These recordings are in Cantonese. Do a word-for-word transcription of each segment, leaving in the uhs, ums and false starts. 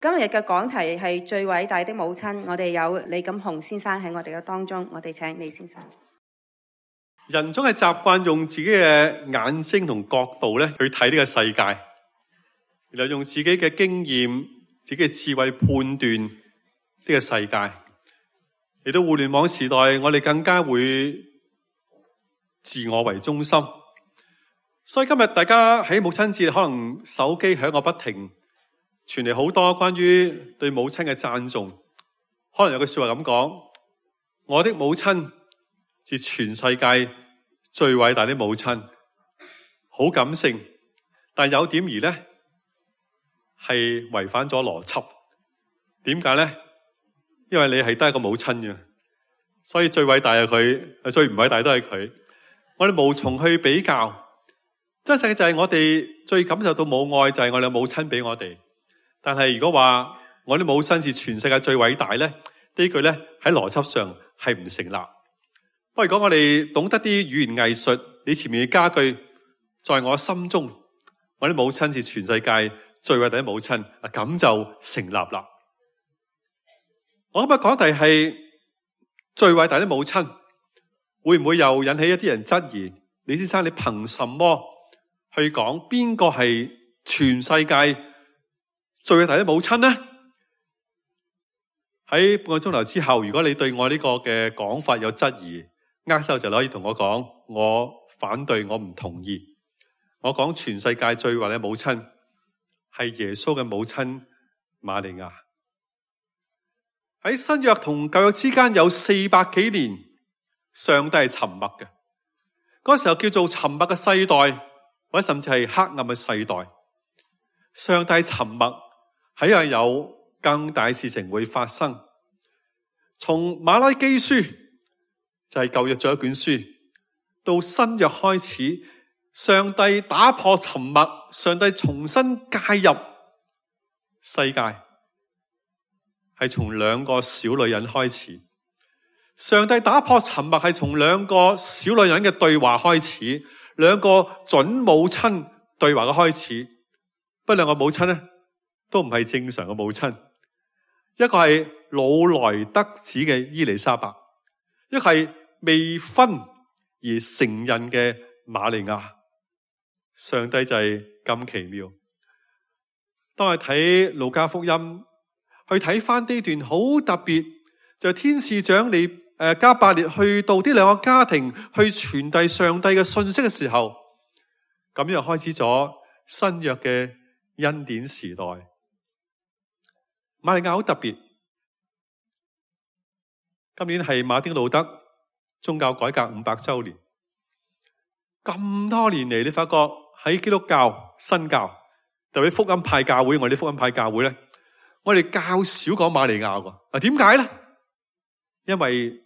今日嘅講題係最偉大的母親，我哋有李錦雄先生喺我哋嘅當中，我哋請李先生。人總係習慣用自己嘅眼睛同角度咧去睇呢個世界，然後用自己嘅經驗、自己嘅智慧判斷呢個世界。嚟到互聯網時代，我哋更加會自我為中心。所以今日大家喺母親節，可能手機響個不停，傳嚟好多關於對母親嘅讚頌。可能有句說話咁講：我的母親是全世界最偉大的母親。好感性，但有點而呢係違反咗邏輯。點解呢？因為你係得一個母親嘅，所以最偉大係佢，最唔偉大都係佢。我哋無從去比較。真實嘅就係我哋最感受到母愛，就係我哋母親俾我哋。但係如果話我哋母親是全世界最偉大咧，呢句咧喺邏輯上係唔成立。不過如果我哋懂得啲語言藝術，你前面嘅加句，在我心中，我哋母親是全世界最偉大的母親，啊咁就成立啦。我今日講題係最偉大的母親，會唔會又引起一啲人質疑？李先生，你憑什麼去講邊個係全世界最偉大的母親呢？喺半個鐘頭之後，如果你對我呢個嘅講法有質疑，握手就可以同我講，我反對，我唔同意。我講全世界最偉大的母親係耶穌嘅母親瑪利亞。喺新約同舊約之間有四百幾年，上帝係沉默嘅。嗰時候叫做沉默嘅世代，或者甚至係黑暗嘅世代。上帝沉默，係因為有更大事情會發生。從馬拉基書就係舊約最後一卷書，到新約開始，上帝打破沉默，上帝重新介入世界。係從兩個小女人開始，上帝打破沉默係從兩個小女人嘅對話開始，兩個準母親對話嘅開始。不過兩個母親咧都唔係正常嘅母親，一個係老來得子嘅伊麗莎白，一個係未婚而成孕嘅瑪利亞。上帝就係咁奇妙。當我睇路加福音，去睇翻呢段好特別，就係天使長你誒加百列去到呢兩個家庭去傳遞上帝嘅信息嘅時候，咁樣開始咗新約嘅恩典時代。瑪利亞好特別，今年係馬丁路德宗教改革五百周年。咁多年嚟，你發覺喺基督教、新教，特別福音派教會，我哋福音派教會咧，我哋較少講瑪利亞㗎。啊，點解咧？因為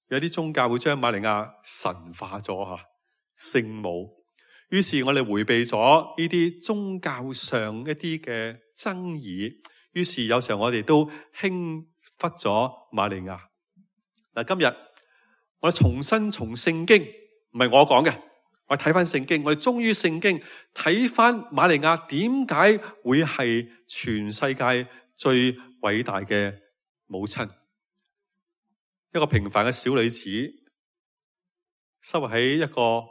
有啲宗教會將瑪利亞神化咗吓，聖母。於是我哋回避咗呢啲宗教上一啲嘅爭議。於是有時候我哋都輕忽咗瑪利亞。嗱，今日我哋重新從聖經，唔係我講嘅，我睇翻聖經，我哋忠於聖經，睇翻瑪利亞點解會係全世界最偉大嘅母親。一個平凡嘅小女子，生活喺一個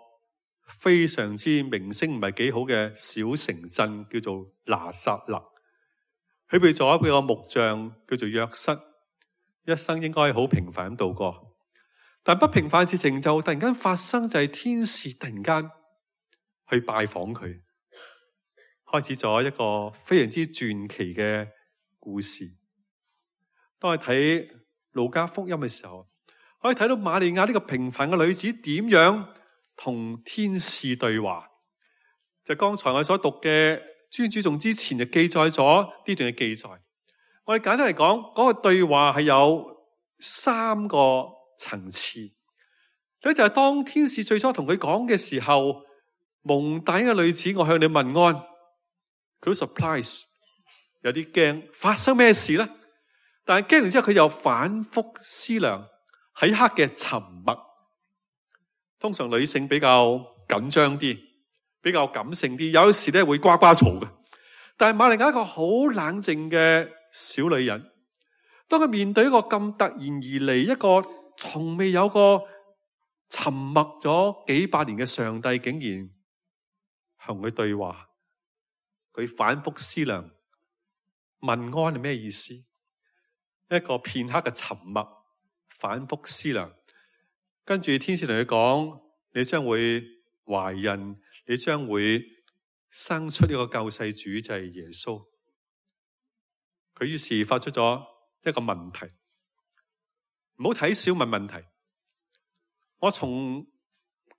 非常之名聲唔係幾好嘅小城鎮，叫做拿撒勒。佢被咗一個木匠叫做約瑟，一生應該好平凡咁度過。但不平凡嘅事情就突然間發生，就係天使突然間去拜訪佢，開始咗一個非常之傳奇嘅故事。當我睇路加福音嘅時候，可以睇到瑪利亞呢個平凡嘅女子點樣同天使對話。就剛才我所讀嘅尊主頌之前就記載咗呢段嘅記載。我哋簡單嚟講，嗰個對話係有三個層次。第一就係當天使最初同佢講嘅時候，蒙大嘅女子，我向你問安，佢都 surprise， 有啲驚，發生咩事咧？但係驚完之後，佢又反覆思量，喺刻嘅沉默。通常女性比較緊張啲，比較感性啲，有時咧會呱呱嘈嘅。但係瑪利亞一個好冷靜嘅小女人，當佢面對一個咁突然而嚟，一個從未有過沉默咗幾百年嘅上帝，竟然同佢對話，佢反覆思量問安係咩意思？一個片刻嘅沉默，反覆思量，跟住天使同佢講：你將會懷孕，你將會生出呢個救世主，就係耶穌。佢於是發出咗一個問題，唔好睇小問問題。我從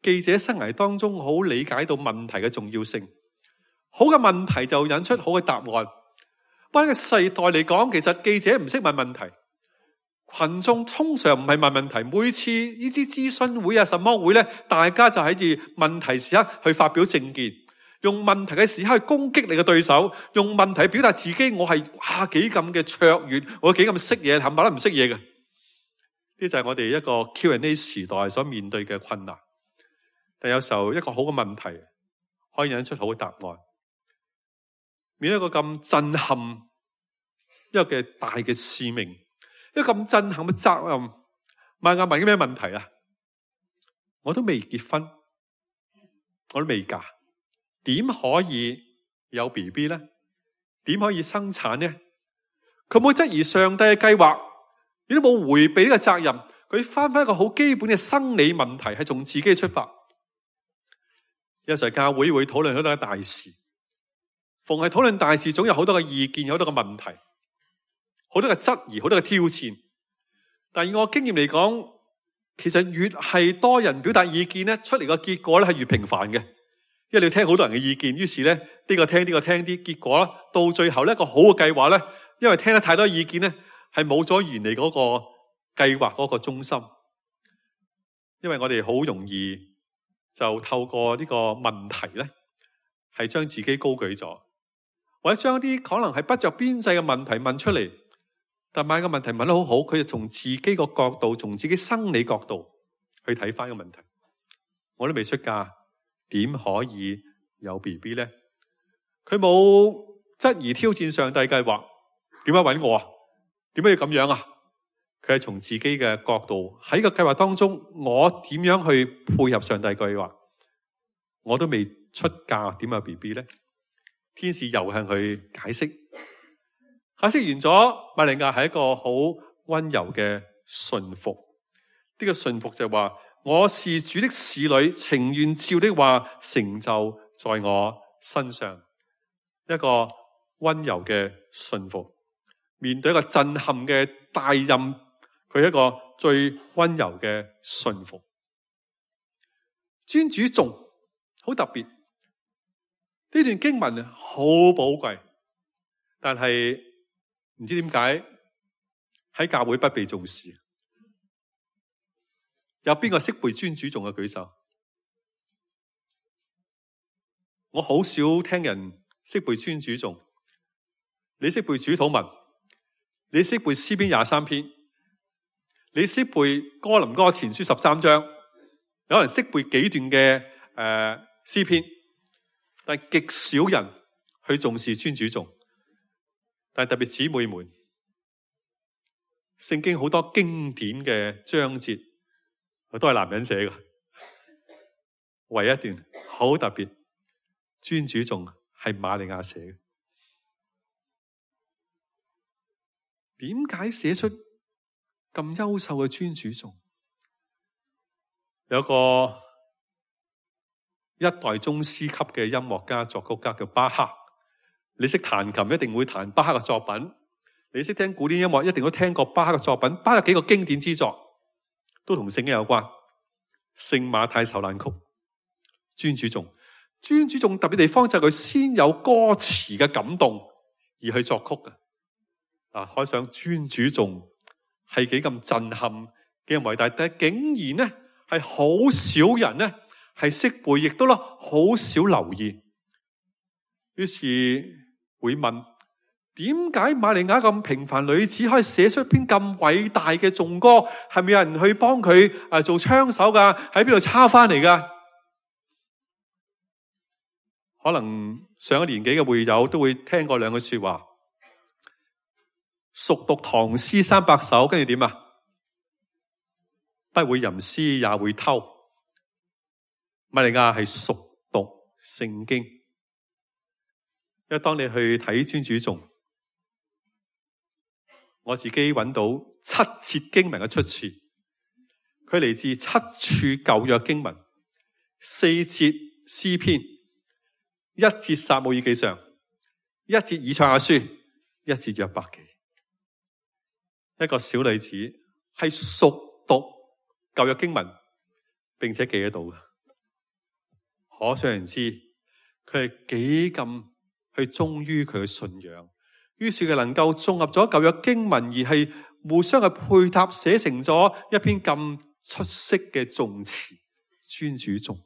記者生涯當中好理解到問題嘅重要性。好嘅問題就引出好嘅答案。不過呢個世代嚟講，其實記者唔識問問題，群眾通常唔係問問題。每次呢啲諮詢會啊、什麼會咧，大家就喺住問題時刻去發表政見，用問題嘅時刻去攻擊你嘅對手，用問題表達自己，我係哇幾咁嘅卓越，我幾咁識嘢，冚唪唥都唔識嘢嘅。呢就係我哋一個 Q and A 時代所面對嘅困難。但有時候一個好嘅問題可以引出好嘅答案。面對一個咁震撼一個嘅大嘅使命，一個咁震撼嘅責任，問下問緊咩問題啊？我都未結婚，我都未嫁，點可以有 B B 呢？點可以生產呢？佢冇質疑上帝嘅計劃，亦都冇回避呢個責任。佢翻翻一個好基本嘅生理問題，係從自己出發。有時候教會會討論好多嘅大事，逢係討論大事，總有好多嘅意見，有好多嘅問題，好多嘅質疑，好多嘅挑戰。但以我經驗嚟講，其實越係多人表達意見咧，出嚟個結果咧係越平凡嘅，因為你要聽好多人嘅意見，於是咧呢個聽呢個聽啲，結果啦到最後呢一個好嘅計劃咧，因為聽得太多意見咧，係冇咗原嚟嗰個計劃嗰個中心。因為我哋好容易就透過呢個問題咧，係將自己高舉咗，或者將啲可能係不着邊際嘅問題問出嚟。但係個問題問得好好，佢就從自己個角度，從自己生理角度去睇翻個問題。我都未出嫁，點可以有 B B 咧？佢冇質疑挑戰上帝計劃，點解揾我啊？點解要咁樣啊？佢係從自己嘅角度喺個計劃當中，我點樣去配合上帝計劃？我都未出嫁，點有 B B 咧？天使又向佢解釋。解釋完咗，瑪利亞係一個好溫柔嘅順服。呢、這個順服就係話，我是主的使女，情願照的話成就在我身上。一個溫柔嘅順服，面對一個震撼嘅大任，佢係一個最溫柔嘅順服。尊主頌好特別，呢段經文好寶貴，但係唔知點解喺教會不被重視。有邊個識背尊主頌嘅舉手？我好少聽人識背尊主頌。你識背主禱文，你識背詩篇廿三篇，你識背哥林多前書十三章，有人識背幾段嘅誒詩篇，但係極少人去重視尊主頌。但係特別姊妹們，聖經好多經典嘅章節，都係男人寫嘅，唯一一段好特別，尊主頌係瑪利亞寫嘅。點解寫出咁優秀嘅尊主頌？有個一代宗師級嘅音樂家、作曲家叫巴哈。你識彈琴，一定會彈巴哈嘅作品；你識聽古典音樂，一定都聽過巴哈嘅作品。巴哈有幾個經典之作，都同聖經有關。聖馬太受難曲、尊主頌，尊主頌特別地方就係佢先有歌詞嘅感動而去作曲嘅。啊，可想尊主頌係幾咁震撼、幾咁偉大，但係竟然咧係好少人咧係識背，亦都咧好少留意。於是會問：點解瑪利亞咁平凡女子可以寫出篇咁偉大嘅頌歌？係咪有人去幫佢啊做槍手噶？喺邊度抄翻嚟噶？可能上一年紀嘅會友都會聽過兩句說話：熟讀唐詩三百首，跟住點啊？不會吟詩也會偷。瑪利亞係熟讀聖經，因為當你去睇尊主頌，我自己揾到七節經文嘅出處，佢嚟自七處舊約經文，四節詩篇，一節撒母耳記上，一節以賽亞書，一節約伯記。一個小女子係熟讀舊約經文，並且記得到嘅，可想而知佢係幾咁去忠於佢嘅信仰。於是佢能夠綜合咗舊約經文，而係互相嘅配搭，寫成咗一篇咁出色嘅頌詞尊主頌。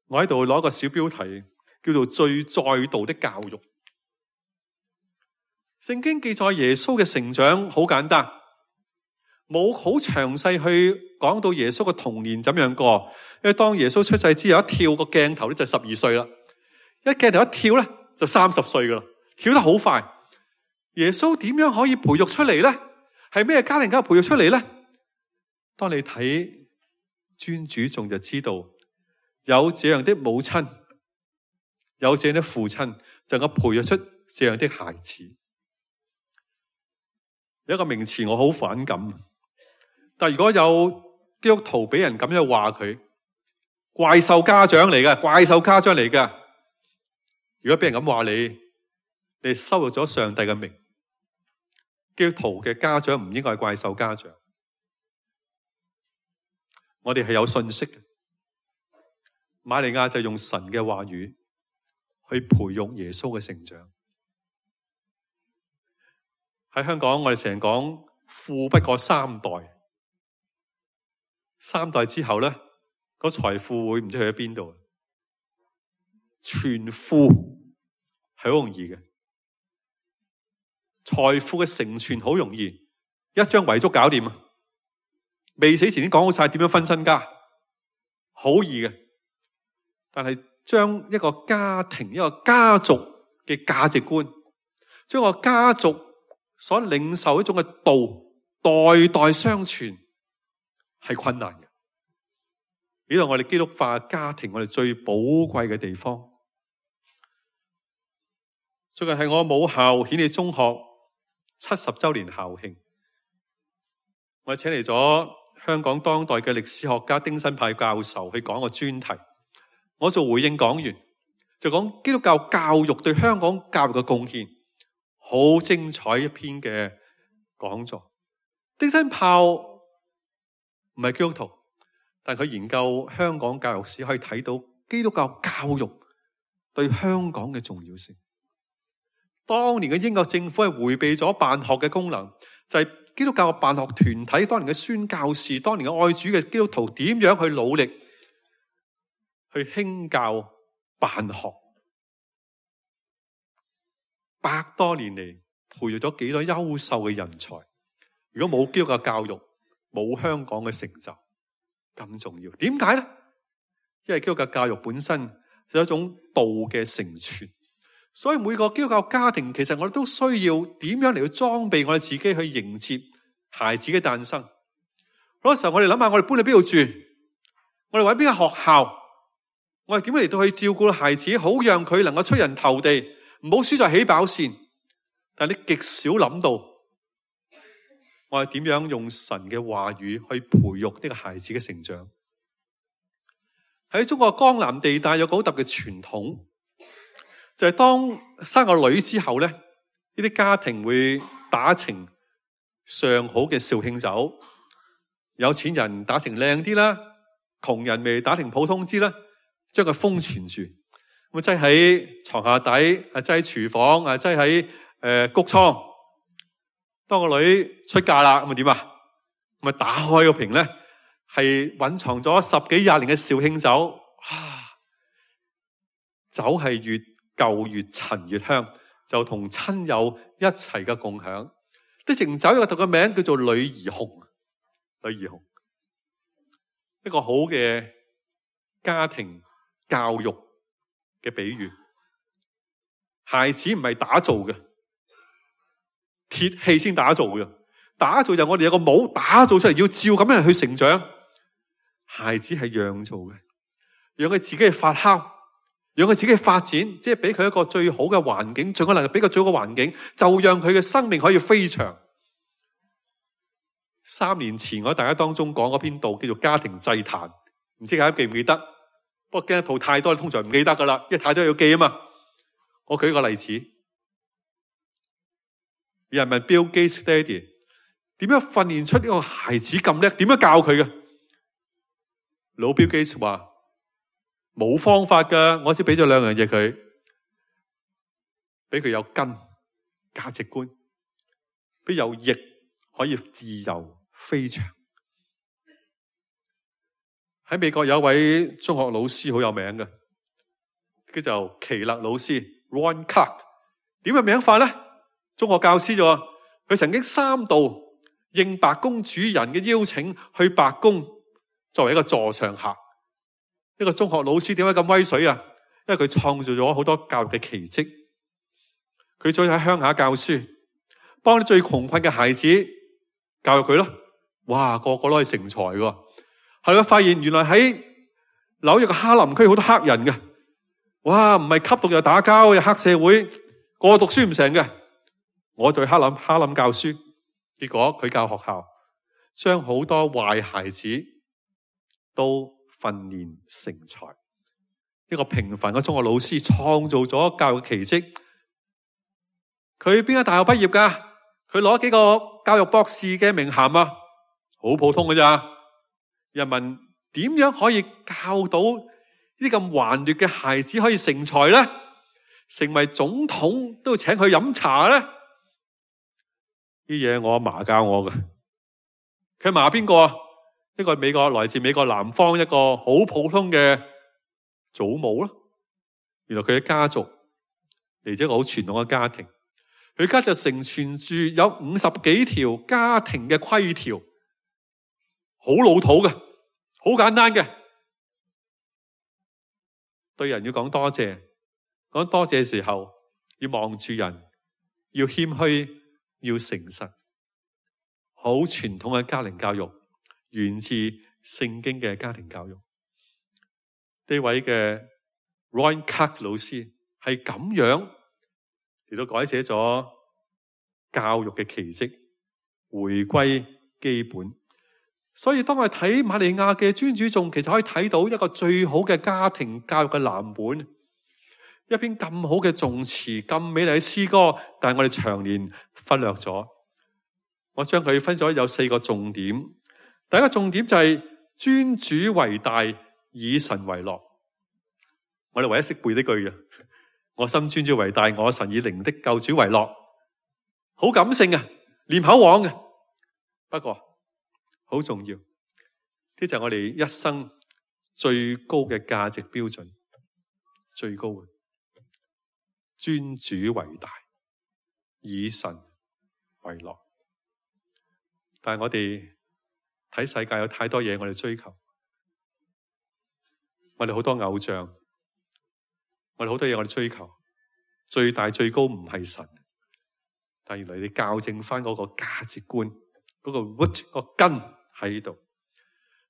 我喺度攞個小標題，叫做最在道的教育。聖經記載耶穌嘅成長好簡單，冇好詳細去講到耶穌嘅童年怎樣過。因為當耶穌出世之後，一跳個鏡頭咧就十二歲啦，一鏡頭一跳咧就三十歲噶啦，跳得好快。耶穌點樣可以培育出嚟咧？係咩家庭家培育出嚟咧？當你睇尊主頌就知道，有這樣的母親，有這樣的父親，就能夠培育出這樣的孩子。有一個名詞我好反感，但如果有基督徒俾人咁樣話佢，怪獸家長嚟嘅，怪獸家長嚟嘅。如果俾人咁話你，你羞辱咗上帝嘅名。基督徒嘅家長唔應該係怪獸家長。我哋係有信息嘅。瑪利亞就用神嘅話語去培育耶穌嘅成長。喺香港，我哋成日講富不過三代，三代之後咧，嗰財富會唔知去咗邊度？傳富係好容易嘅，財富嘅承傳好容易，一張遺囑搞掂啊！未死前已經講好晒點樣分身家，好易嘅。但係將一個家庭、一個家族嘅價值觀，將個家族所領受一種嘅道，代代相傳，係困難嘅。呢度我哋基督化家庭，我哋最寶貴嘅地方。最近係我母校顯理中學七十周年校慶，我哋請嚟咗香港當代嘅歷史學家丁新派教授去講個專題。我做回應講員，就講基督教教育對香港教育嘅貢獻，好精彩一篇嘅講座。丁新炮唔係基督徒，但佢研究香港教育史，可以睇到基督教教育對香港嘅重要性。當年嘅英國政府係迴避咗辦學嘅功能，就係、是、基督教嘅辦學團體，當年嘅宣教士，當年嘅愛主嘅基督徒點樣去努力去興教辦學，百多年嚟培育咗幾多優秀嘅人才。如果冇基督教教育，冇香港嘅成就咁重要。點解咧？因為基督教教育本身有一種道嘅承傳。所以每個基督教家庭，其實我哋都需要點樣嚟去裝備我哋自己去迎接孩子嘅誕生。好多時候我哋諗下，我哋搬去邊度住？我哋揾邊間學校？我哋點樣嚟到去照顧孩子，好讓佢能夠出人頭地，唔好輸在起跑線。但係你極少諗到，我哋點樣用神嘅話語去培育呢個孩子嘅成長。喺中國江南地帶有個好特別嘅傳統。就係、是、當生個女之後咧，呢啲家庭會打成上好嘅紹興酒，有錢人打成靚啲啦，窮人咪打成普通啲啦，將佢封存住，咁擠喺床下底，啊擠喺廚房，啊擠喺誒穀倉。當個女出嫁啦，咁啊點啊？咁啊打開個瓶咧，係蘊藏咗十幾廿年嘅紹興酒，啊，酒係越舊越陳越香，就同親友一齊嘅共享。啲情酒有個特嘅名叫做女兒紅，女兒紅，一個好嘅家庭教育嘅比喻。孩子唔係打造嘅，鐵器先打造嘅。打造就我哋有個模打造出嚟，要照咁樣去成長。孩子係釀造嘅，讓佢自己去發酵，讓佢自己去發展，即係俾佢一個最好嘅環境，盡可能俾佢最好嘅環境，就讓佢嘅生命可以飛翔。三年前我喺大家當中講嗰篇道叫做家庭祭壇，唔知大家記唔記得？不過驚一套太多，通常唔記得噶啦，因為太多要記啊嘛。我舉一個例子，有人問 Bill Gates Daddy 點樣訓練出呢個孩子咁叻？點樣教佢嘅？老 Bill Gates 話冇方法噶，我只俾咗兩樣嘢佢，俾佢有根價值觀，俾有翼可以自由飛翔。喺美國有一位中學老師好有名嘅，叫做奇勒老師 Ron Clark。點嘅名法咧？中學教師啫，佢曾經三度應白宮主人嘅邀請去白宮作為一個座上客。呢個中學老師點解咁威水啊？因為佢創造咗好多教育嘅奇蹟。佢再喺鄉下教書，幫啲最窮困嘅孩子教育佢咯。哇，個個都係成才㗎。後來發現原來喺紐約嘅哈林區好多黑人嘅，哇，唔係吸毒又打交又黑社會，個個讀書唔成嘅。我在哈林哈林教書，結果佢教學校，將好多壞孩子都訓練成才。一個平凡嘅中學老師創造咗教育奇蹟。佢邊間大學畢業噶？佢攞幾個教育博士嘅名銜啊？好普通㗎咋？人問點樣可以教到呢啲咁頑劣嘅孩子可以成才咧？成為總統都要請佢飲茶咧？呢嘢我阿嫲教我嘅。佢阿嫲邊個啊？一個美國來自美國南方一個好普通嘅祖母咯。原來佢嘅家族嚟自一個好傳統嘅家庭，佢家就承傳住有五十幾條家庭嘅規條，好老土嘅，好簡單嘅。對人要講多謝，講多謝嘅時候要望住人，要謙虛，要誠實。好傳統嘅家庭教育，源自聖經嘅家庭教育。呢位嘅 Ron Clark 老師係咁樣嚟到改寫咗教育嘅奇蹟，回歸基本。所以當我哋睇瑪利亞嘅尊主頌，其實可以睇到一個最好嘅家庭教育嘅藍本。一篇咁好嘅頌詞，咁美麗嘅詩歌，但係我哋長年忽略咗。我將佢分咗有四個重點。第一個重點就係尊主為大，以神為樂。我哋唯一識背呢句嘅，我心尊主為大，我神以靈的救主為樂。好感性啊，念口簧嘅。不過好重要，呢就係我哋一生最高嘅價值標準，最高嘅尊主為大，以神為樂。但係我哋睇世界有太多嘢我哋追求，我哋好多偶像，我哋好多嘢我哋追求，最大最高唔係神，但原來你校正翻嗰個價值觀，嗰、嗰個 root 個根喺度。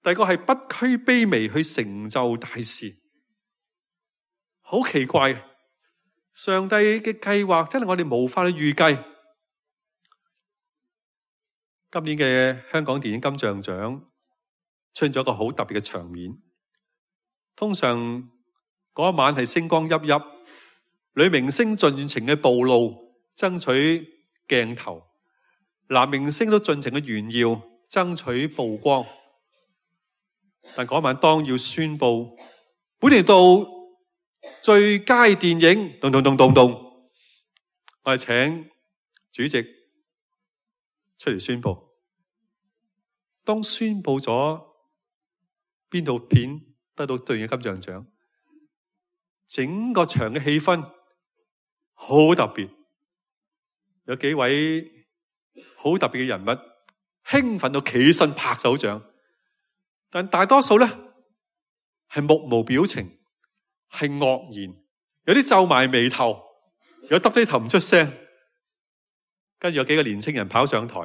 第二個係不拘卑微去成就大事，好奇怪，上帝嘅計劃真係我哋無法去預計。今年嘅香港電影金像獎出現咗一個好特別嘅場面。通常嗰一晚係星光熠熠，女明星盡情嘅暴露，爭取鏡頭；男明星都盡情嘅炫耀，爭取曝光。但嗰晚當要宣布本年度最佳電影，咚咚咚咚咚，我哋請主席出嚟宣布。當宣布咗邊套片得到對應嘅金像獎，整個場嘅氣氛好特別，有幾位好特別嘅人物興奮到企起身拍手掌，但大多數咧係目無表情，係愕然，有啲皺埋眉頭，有耷低頭唔出聲。跟住有幾個年青人跑上台，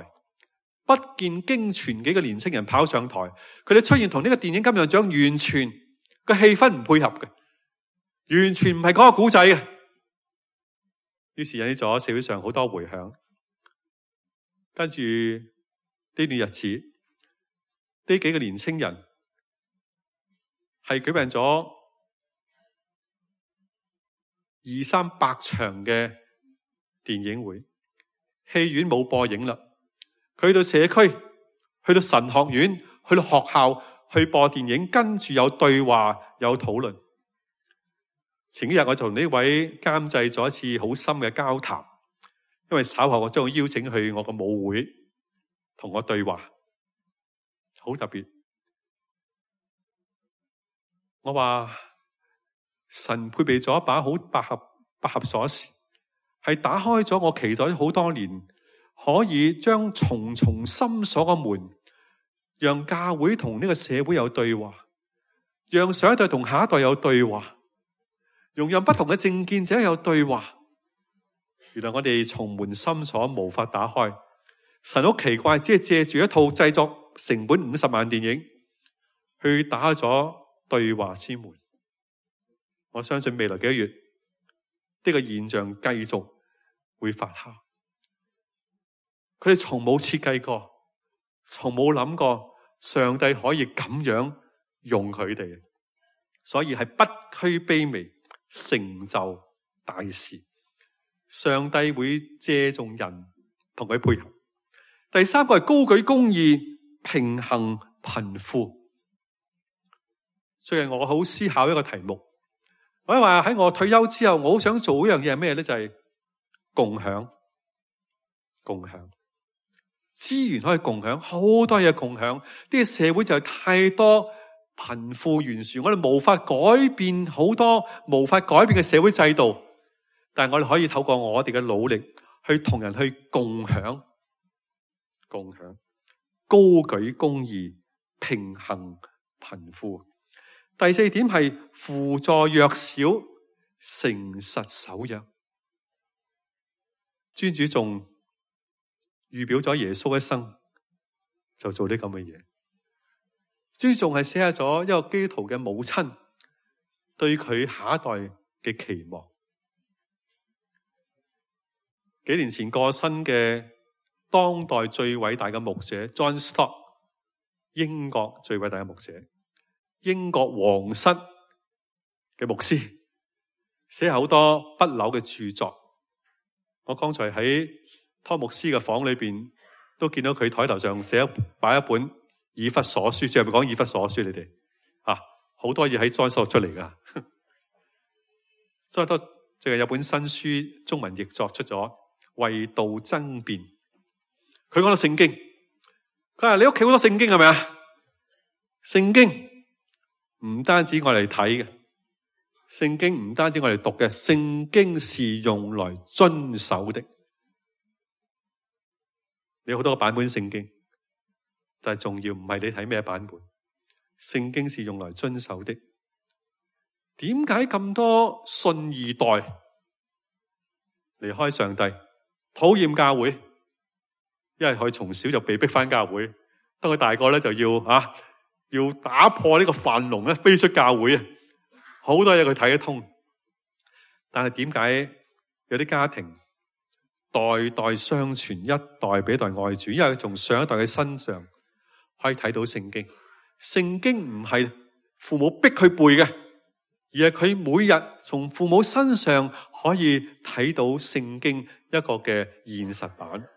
不見經傳幾個年青人跑上台，佢哋出現同呢個電影金像獎完全個氣氛唔配合嘅，完全唔係講個古仔嘅。於是引起咗社會上好多迴響。跟住呢段日子，呢幾個年青人係舉辦咗二三百場嘅電影會，戲院冇播映啦，佢去到社區，去到神學院，去到學校去播電影，跟住有對話有討論。前幾日我同呢位監製咗一次好深嘅交談，因為稍後我將會邀請去我個舞會同我對話，好特別。我話神配備咗一把好百合百合鎖匙，係打開咗我期待好多年，可以將重重深鎖嘅門，讓教會同呢個社會有對話，讓上一代同下一代有對話，容讓不同嘅政見者有對話。原來我哋重門深鎖無法打開，神好奇怪，只係借住一套製作成本五十萬電影去打開咗對話之門。我相信未來幾個月呢個現象繼續會發酵。佢哋從冇設計過，從冇諗過上帝可以咁樣用佢哋，所以係不拘卑微，成就大事。上帝會借重人同佢配合。第三個係高舉公義，平衡貧富。最近我好思考一個題目，我話喺我退休之後，我好想做一樣嘢係咩咧？就係共享，共享資源可以共享，好多嘢共享。呢個社會就係太多貧富懸殊，我哋無法改變好多無法改變嘅社會制度，但係我哋可以透過我哋嘅努力去同人去共享，共享高舉公義，平衡貧富。第四點係輔助弱小，誠實守約。尊主仲預表咗耶穌一生就做啲咁嘅嘢。尊重係寫下咗一個基督徒嘅母親對佢下一代嘅期望。幾年前過身嘅當代最偉大嘅牧者 John Stott， 英國最偉大嘅牧者，英國皇室嘅牧師，寫好多不朽嘅著作。我剛才喺湯牧師嘅房裏邊都見到佢台頭上寫擺一本以弗所書，最後咪講以弗所書，你哋啊，好多嘢喺John Stott出嚟噶。John Stott最近有本新書中文譯作出咗，為道爭辯。佢講到聖經，佢話你屋企好多聖經係咪啊？聖經唔單止我哋睇嘅，聖經唔單止我哋讀嘅，聖經是用來遵守的。你有好多個版本聖經，但係重要唔係你睇咩版本，聖經是用來遵守的。點解咁多信二代離開上帝，討厭教會？因為佢從小就被逼返教會，當佢大個咧就要啊，要打破呢個樊籠咧，飛出教會啊！好多嘢佢睇得通，但係點解有啲家庭代代相傳，一代比一代愛主？因為從上一代嘅身上可以睇到聖經。聖經唔係父母逼佢背嘅，而係佢每日從父母身上可以睇到聖經一個嘅現實版。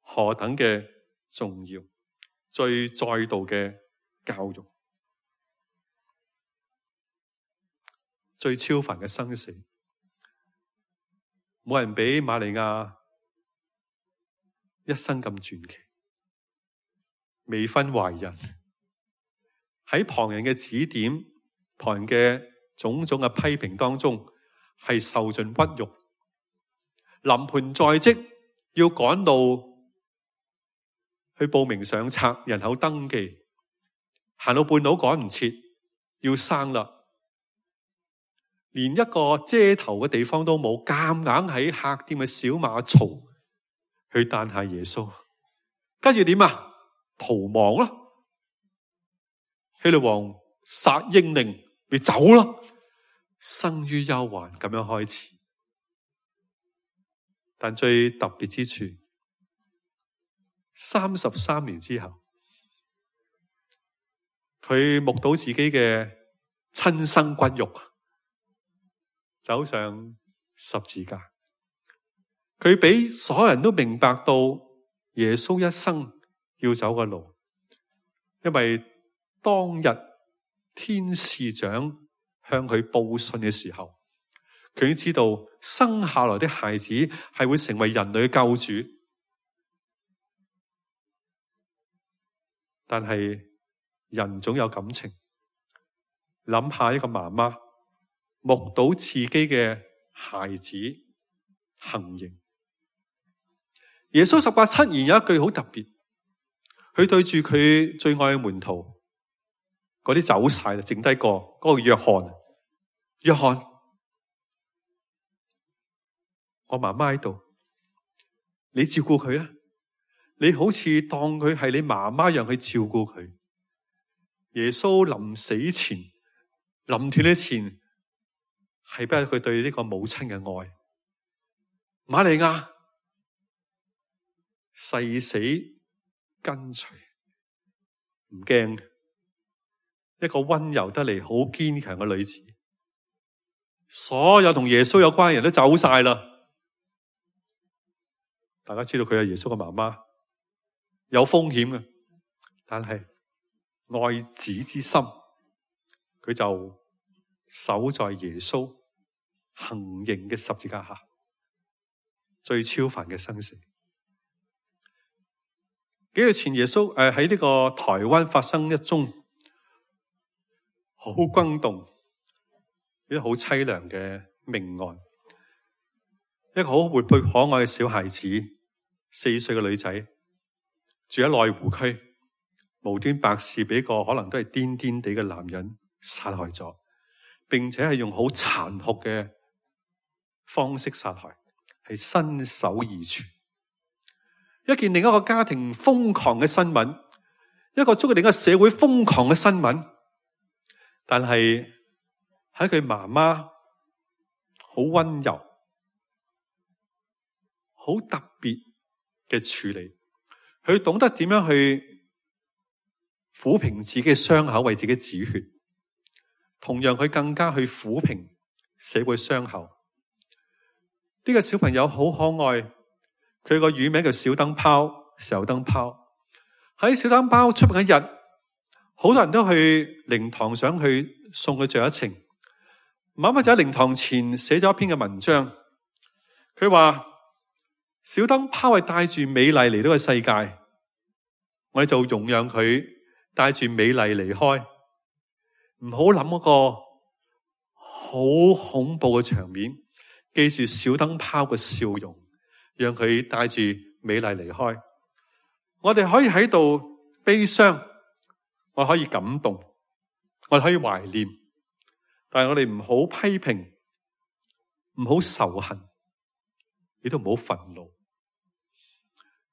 何等嘅重要，最再度嘅教育，最超凡嘅生死，冇人比瑪利亞一生咁傳奇。未婚懷孕，喺旁人嘅指點、旁人嘅種種嘅批評當中，係受盡屈辱。臨盆在即，要趕到去報名上冊、人口登記，行到半路趕唔切，要生啦。連一個遮頭嘅地方都冇，夾硬喺客店嘅小馬槽去誕下耶穌。跟住點啊？逃亡咯！希律王殺英令，咪走咯！生於憂患咁樣開始。但最特別之處，三十三年之後，佢目睹自己嘅親生骨肉走上十字架。佢俾所有人都明白到耶穌一生要走嘅路，因為當日天使長向佢報信嘅時候，佢已經知道生下來的孩子係會成為人類嘅救主。但係人總有感情，諗下一個媽媽目睹自己嘅孩子行刑。耶穌十八七言有一句好特別，佢對住佢最愛嘅門徒，嗰啲走晒啦，剩低個嗰個約翰。約翰，我媽媽喺度，你照顧佢啊！你好似當佢係你媽媽一樣去照顧佢。耶穌臨死前、臨斷之前，係俾佢對呢個母親嘅愛。瑪利亞誓死跟隨，唔驚，一個溫柔得嚟好堅強嘅女子。所有同耶穌有關嘅人都走晒啦。大家知道佢係耶穌嘅媽媽，有風險嘅，但係愛子之心，佢就守在耶穌行刑嘅十字架下，最超凡嘅生死。幾日前耶穌誒喺呢個台灣發生一宗好轟動、一個好淒涼嘅命案。一個好活潑可愛嘅小孩子，四歲嘅女仔，住喺內湖區，無端白事俾個可能都係癲癲地嘅男人殺害咗，並且係用好殘酷嘅方式殺害，係身首異處。一件另一個家庭瘋狂嘅新聞，一個觸動另一個社會瘋狂嘅新聞，但係喺佢媽媽好溫柔、好特別嘅處理，佢懂得點樣去撫平自己嘅傷口，為自己止血。同樣，佢更加去撫平社會傷口。呢個小朋友好可愛。佢個乳名叫小燈泡，小燈泡。喺小燈泡出名一日，好多人都去靈堂想去送佢最後一程。媽媽就喺靈堂前寫咗一篇嘅文章，佢話小燈泡係帶住美麗嚟到個世界，我哋就容讓佢帶住美麗離開，唔好諗嗰個好恐怖嘅場面，記住小燈泡嘅笑容，讓佢帶住美麗離開。我哋可以喺度悲傷，我可以感動，我哋可以懷念，但係我哋唔好批評，唔好仇恨，亦都唔好憤怒。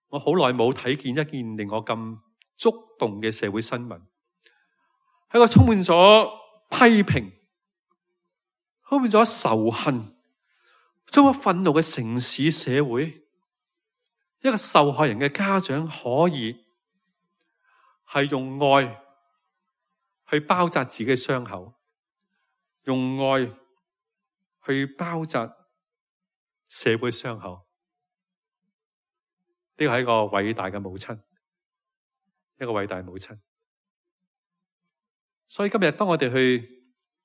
我好耐冇睇見一件令我咁觸動嘅社會新聞，係個充滿咗批評、充滿咗仇恨、充滿憤怒嘅城市社會。一個受害人嘅家長可以係用愛去包紮自己嘅傷口，用愛去包紮社會傷口。呢個係一個偉大嘅母親，一個偉大嘅母親。所以今日當我哋去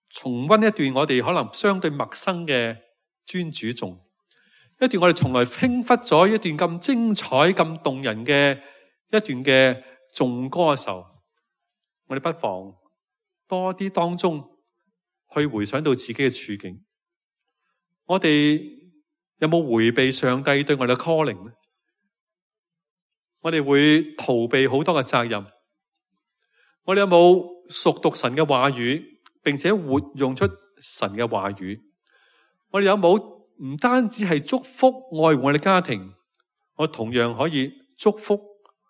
重溫一段我哋可能相對陌生嘅尊主頌，一段我哋從來輕忽咗一段咁精彩、咁動人嘅一段嘅頌歌嘅時候，我哋不妨多啲當中去回想到自己嘅處境。我哋有冇回避上帝對我哋嘅 calling 呢？我哋會逃避好多嘅責任。我哋有冇熟讀神嘅話語，並且活用出神嘅話語？我哋有冇唔單止係祝福愛護我哋家庭，我同樣可以祝福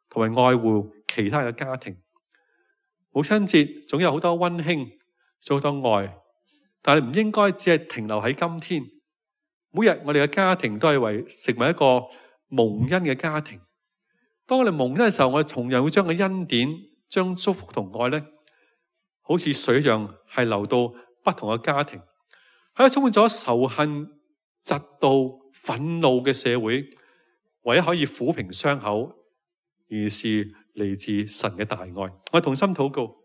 同埋愛護其他嘅家庭。母親節總有好多溫馨，做好多愛，但係唔應該只係停留喺今天。每日我哋嘅家庭都係為成為一個蒙恩嘅家庭。當我哋蒙恩嘅時候，我哋同樣會將個恩典、將祝福同愛咧，好似水一樣係流到不同嘅家庭。喺充滿咗仇恨、嫉妒、憤怒嘅社會，唯一可以撫平傷口，而是嚟自神嘅大愛。我同心禱告，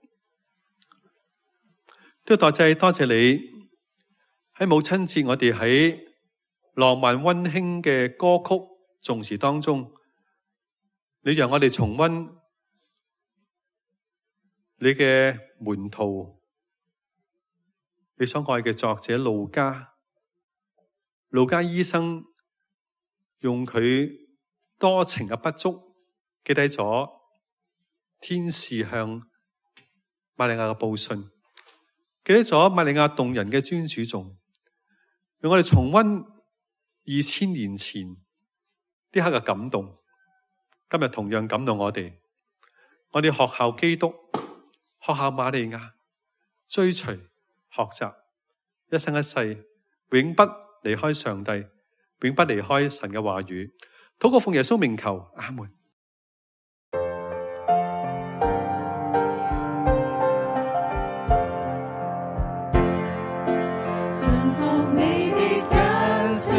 都多謝多謝你喺母親節，我哋喺浪漫溫馨嘅歌曲頌詞當中，你讓我哋重溫你嘅門徒，你所愛嘅作者路加，路加醫生用佢多情嘅不足，記低咗天使向瑪利亞嘅報信，記低咗瑪利亞動人嘅尊主頌，讓我哋重溫二千年前呢刻嘅感動，今日同樣感動我哋。我哋學效基督，學效瑪利亞，追隨學習，一生一世永不離開上帝，永不離開神嘅話語。禱告奉耶穌名求，阿門。順服你的揀選，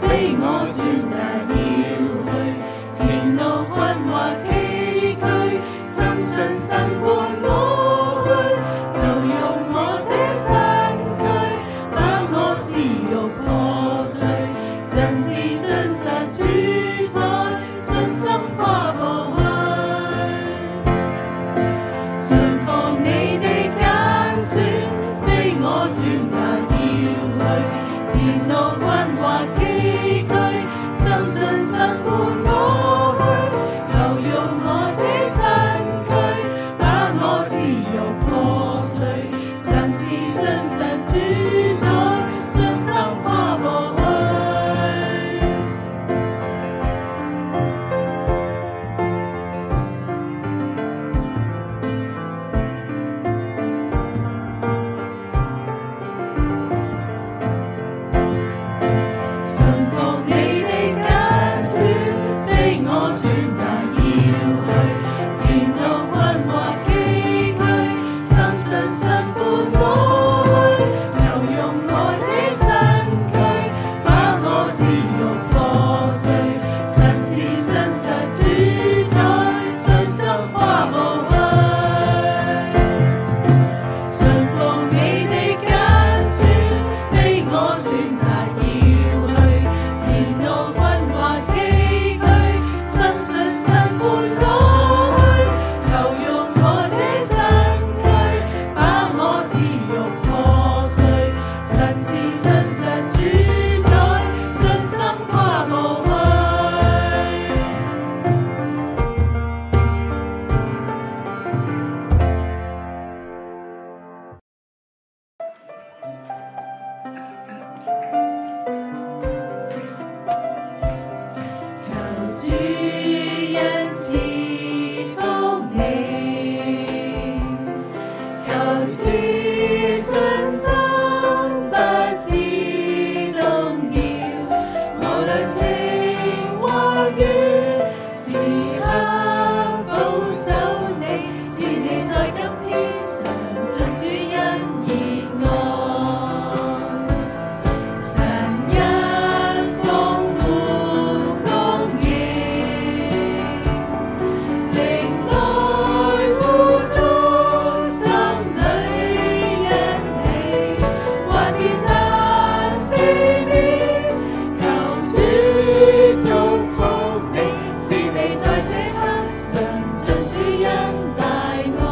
非我選擇要去，前路困惑崎嶇，深信神伴我去，求用我這身軀，把我私欲破碎，神是信實主宰，信心跨步去。順服你的揀選，非我選擇要去，前路困惑崎嶇，深信神伴我去，求用我這身軀，把我私欲破碎，神是信實主宰，信心跨步去。順服你的揀選，非我選擇要去，前路困惑崎嶇，深信神伴我去，求用我這身軀，把我私欲破碎，神是信實主宰，信心跨步去。順服你的揀選，非我選擇要去，前路困惑崎嶇，深信神伴我去，求用我這身軀，把我私欲破碎，神是信實主宰，信心跨步去。求主恩賜福你，求賜信心不致動搖，無論晴或雨，時刻保守你，是你在今天常盡主恩熱愛。神恩豐富供應，靈愛互中，心裏欣喜，幻變難避免，求主祝福你，是你在這刻常盡主恩大愛。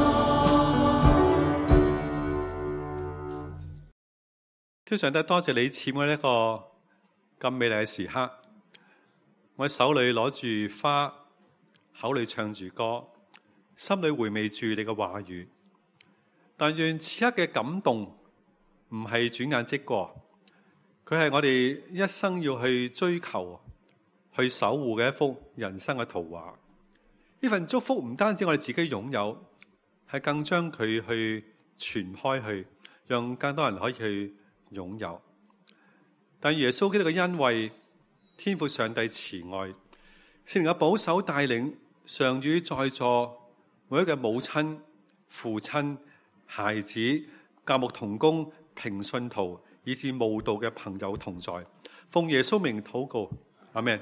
天上帝，多謝你賜我一個咁美麗嘅時刻，我手裏攞住花，口裏唱住歌，心裏回味住你嘅話語。但願此刻嘅感動唔係轉眼即過，佢係我哋一生要去追求、去守護嘅一幅人生嘅圖畫。呢份祝福唔單止我哋自己擁有，係更將佢去傳開去，讓更多人可以去擁有。但耶穌基督嘅恩惠、天父上帝慈愛、聖靈嘅保守帶領，常與在座每一個母親、父親、孩子、教牧同工、平信徒以至慕道嘅朋友同在。奉耶穌名禱告，阿們。